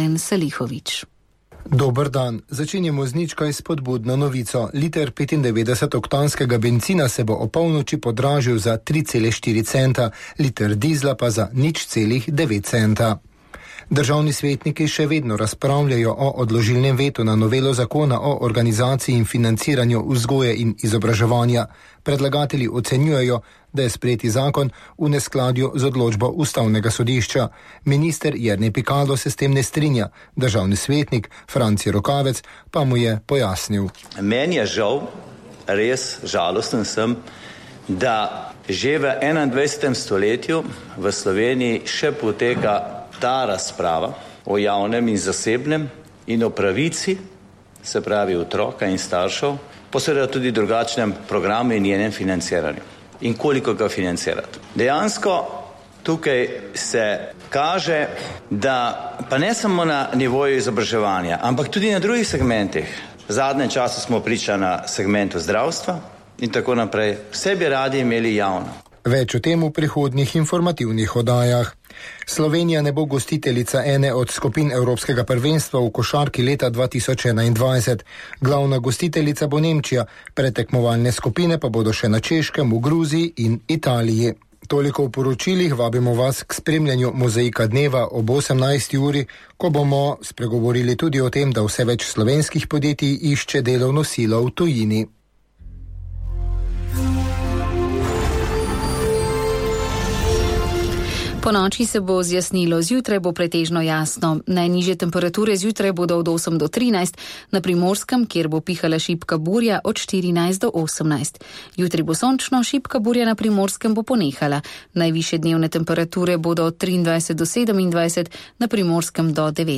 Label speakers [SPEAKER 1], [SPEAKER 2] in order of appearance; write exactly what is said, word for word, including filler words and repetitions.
[SPEAKER 1] Alen Salihović.
[SPEAKER 2] Dober dan. Začenjamo z nič kaj spodbudno novico. Liter petindevetdesetoktanskega bencina se bo o polnoči podražil za tri cele štiri centa, liter dizla pa za nič celih devet centa. Državni svetniki še vedno razpravljajo o odložilnem vetu na novelo zakona o organizaciji in financiranju vzgoje in izobraževanja. Predlagatelji ocenjujejo, da je sprejeti zakon v neskladju z odločbo Ustavnega sodišča. Minister Jernej Pikalo se s tem ne strinja. Državni svetnik Franci Rokavec pa mu je pojasnil.
[SPEAKER 3] Meni je žal, res žalosten sem, da že v enaindvajsetem stoletju v Sloveniji še poteka ta razprava o javnem in zasebnem in o pravici, se pravi otroka in staršev, pa seveda tudi drugačnem programu in njenem financiranju. In koliko ga financirati. Dejansko tukaj se kaže, da pa ne samo na nivoju izobraževanja, ampak tudi na drugih segmentih. V zadnjem času smo priča na segmentu zdravstva in tako naprej. Vse bi radi imeli javno.
[SPEAKER 2] Več o tem v prihodnjih informativnih oddajah. Slovenija ne bo gostiteljica ene od skupin Evropskega prvenstva v košarki leta dva tisoč enaindvajset. Glavna gostiteljica bo Nemčija, predtekmovalne skupine pa bodo še na Češkem, v Gruziji in Italiji. Toliko v poročilih, vabimo vas k spremljanju Mozaika dneva ob osemnajsti uri, ko bomo spregovorili tudi o tem, da vse več slovenskih podjetij išče delovno silo v tujini.
[SPEAKER 1] Po noči se bo zjasnilo, zjutraj bo pretežno jasno. Najnižje temperature zjutraj bodo od osem do trinajst, na Primorskem, kjer bo pihala šibka burja, od štirinajst do osemnajst. Jutri bo sončno, šibka burja na Primorskem bo ponehala. Najvišje dnevne temperature bodo od triindvajset do sedemindvajset, na Primorskem do devetindvajset.